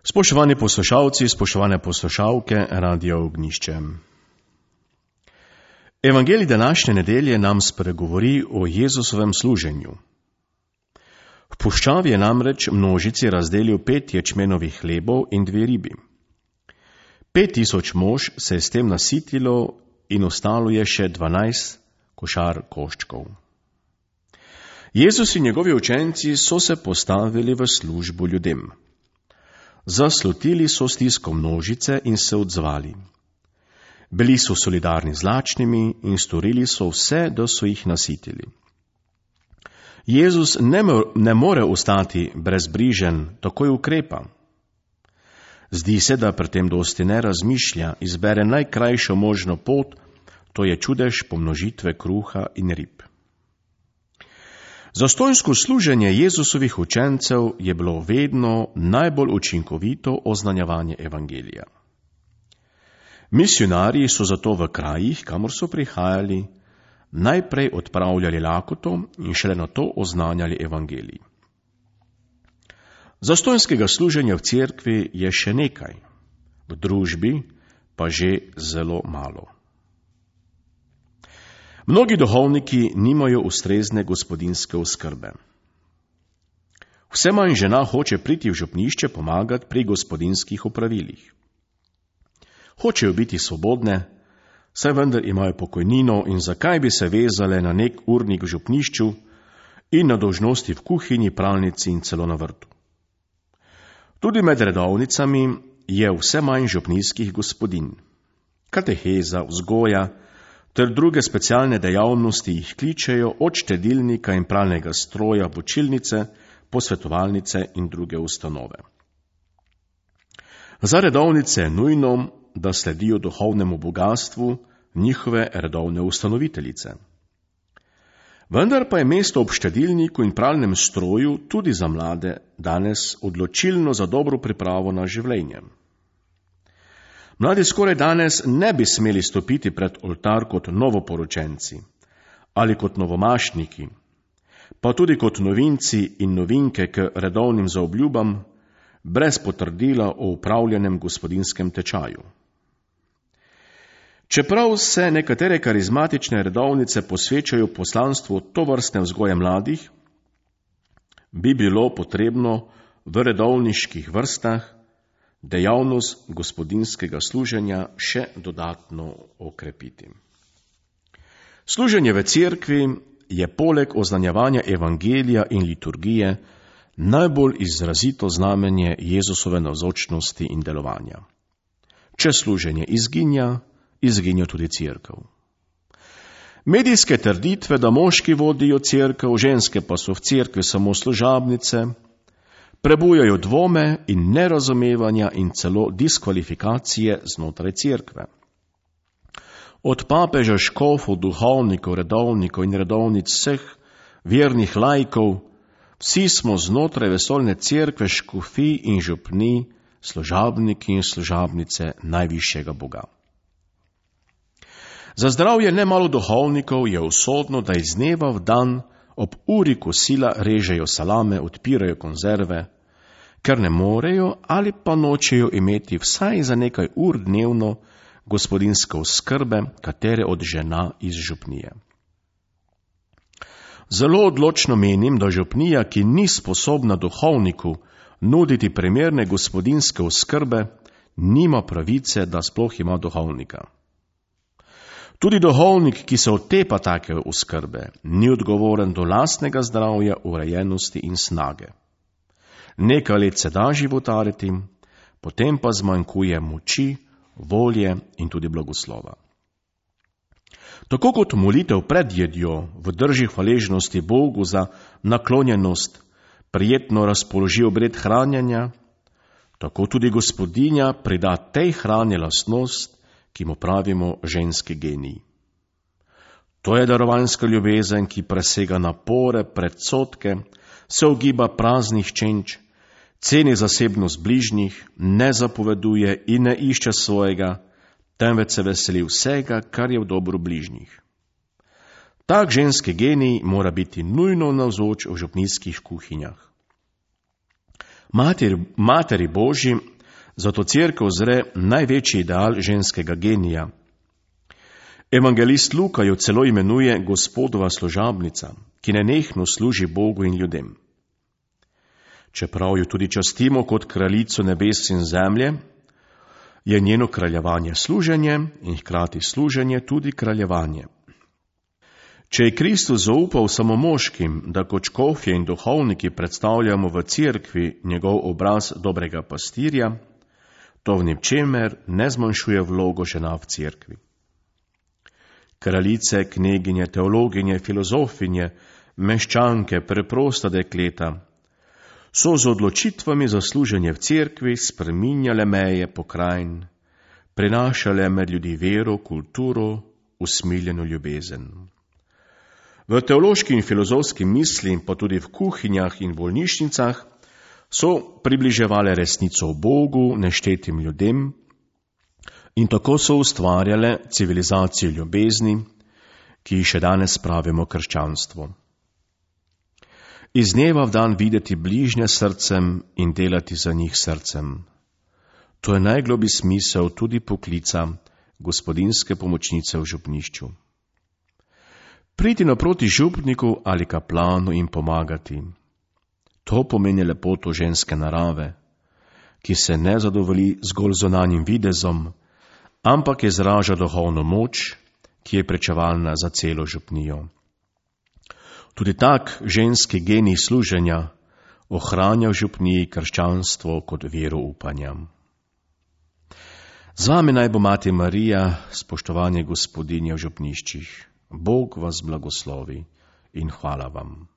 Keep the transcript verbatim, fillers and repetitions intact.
Spoštovani poslušalci, spoštovane poslušalke Radia Ognjišče. Evangelij današnje nedelje nam spregovori o Jezusovem služenju. V puščavi je namreč množici razdelil pet ječmenovih hlebov in dve ribi. Pet tisoč mož se je s tem nasitilo in ostalo je še dvanajst košar koščkov. Jezus in njegovi učenci so se postavili v službo ljudem. Zaslutili so stisko množice in se odzvali. Bili so solidarni z lačnimi in storili so vse, da so jih nasitili. Jezus ne, ne more ostati brezbrižen, takoj ukrepa. Zdi se, da pri tem dosti ne razmišlja, izbere najkrajšo možno pot, to je čudež pomnožitve kruha in rib. Zastonjsko služenje Jezusovih učencev je bilo vedno najbolj učinkovito oznanjevanje evangelija. Misionarji so zato v krajih, kamor so prihajali, najprej odpravljali lakoto in šele nato oznanjali evangelij. Zastonjskega služenja v cerkvi je še nekaj, v družbi pa že zelo malo. Mnogi duhovniki nimajo ustrezne gospodinjske oskrbe. Vse manj žena hoče priti v župnišče pomagati pri gospodinjskih opravilih. Hočejo biti svobodne, saj vendar imajo pokojnino in zakaj bi se vezale na nek urnik v župnišču in na dolžnosti v kuhinji, pralnici in celo na vrtu. Tudi med redovnicami je vse manj župnijskih gospodinj. Kateheza, vzgoja ter druge specialne dejavnosti jih kličejo od štedilnika in pralnega stroja v učilnice, posvetovalnice in druge ustanove. Za redovnice je nujno, da sledijo duhovnemu bogatstvu njihove redovne ustanoviteljice. Vendar pa je mesto ob štedilniku in pralnem stroju tudi za mlade danes odločilno za dobro pripravo na življenje. Mladi skoraj danes ne bi smeli stopiti pred oltar kot novoporočenci ali kot novomašniki, pa tudi kot novinci in novinke k redovnim zaobljubam, brez potrdila o upravljenem gospodinskem tečaju. Čeprav se nekatere karizmatične redovnice posvečajo poslanstvu tovrstne vzgoje mladih, bi bilo potrebno v redovniških vrstah dejavnost gospodinjskega služenja še dodatno okrepiti. Služenje v cerkvi je poleg oznanjevanja evangelija in liturgije najbolj izrazito znamenje Jezusove navzočnosti in delovanja. Če služenje izginja, izginja tudi cerkev. Medijske trditve, da moški vodijo cerkev, ženske pa so v cerkvi samo služabnice, prebujajo dvome in nerazumevanja in celo diskvalifikacije znotraj cerkve. Od papeža, škofov, duhovnikov, redovnikov in redovnic vseh vernih laikov, vsi smo znotraj vesoljne cerkve, škofij in župnij, služabniki in služabnice najvišjega Boga. Za zdravje nemalo duhovnikov je usodno, da iz dneva v dan ob uri kosila režejo salame, odpirajo konzerve, ker ne morejo ali pa nočejo imeti vsaj za nekaj ur dnevno gospodinjske oskrbe katere od žena iz župnije. Zelo odločno menim, da župnija, ki ni sposobna duhovniku nuditi primerne gospodinjske oskrbe, nima pravice, da sploh ima duhovnika. Tudi duhovnik, ki se otepa take oskrbe, ni odgovoren do lastnega zdravja, urejenosti in snage. Nekaj let se da životariti, potem pa zmanjkuje moči, volje in tudi blagoslova. Tako kot molitev pred jedjo v drži hvaležnosti Bogu za naklonjenost prijetno razpoloži obred hranjenja, tako tudi Gospodinja prida tej hrani lastnost, ki mu pravimo ženski genij. To je darovanska ljubezen, ki presega napore, predsodke, se ogiba praznih čenč, ceni zasebnost bližnjih, ne zapoveduje in ne išče svojega, temveč se veseli vsega, kar je v dobro bližnjih. Tak ženski genij mora biti nujno navzoč v župnijskih kuhinjah. Materi, materi Božji Zato cerkev zre največji ideal ženskega genija. Evangelist Luka jo celo imenuje Gospodova služabnica, ki nenehno služi Bogu in ljudem. Čeprav jo tudi častimo kot kraljico nebes in zemlje, je njeno kraljevanje služenje in hkrati služenje tudi kraljevanje. Če je Kristus zaupal samo moškim, da kot škofje in duhovniki predstavljamo v cerkvi njegov obraz dobrega pastirja, to v ničemer ne zmanjšuje vlogo žena v cerkvi. Kraljice, kneginje, teologinje, filozofinje, meščanke, preprosta dekleta so z odločitvami za služenje v cerkvi spreminjale meje pokrajin, prenašale med ljudi vero, kulturo, usmiljeno ljubezen. V teološki in filozofski misli, pa tudi v kuhinjah in bolnišnicah, so približevale resnico o Bogu neštetim ljudem in tako so ustvarjale civilizacijo ljubezni, ki jih še danes pravimo krščanstvo. Iz dneva v dan videti bližnje srcem in delati za njih srcem. To je najgloblji smisel tudi poklica gospodinjske pomočnice v župnišču. Priti naproti župniku ali kaplanu in pomagati. To pomeni lepoto ženske narave, ki se ne zadovolji zgolj zunanjim videzom, ampak izraža duhovno moč, ki je pričevalna za celo župnijo. Tudi tak ženski genij služenja ohranja v župniji krščanstvo kot vero upanja. Z vami naj bo Mati Marija, spoštovanje gospodinje v župniščih. Bog vas blagoslovi in hvala vam.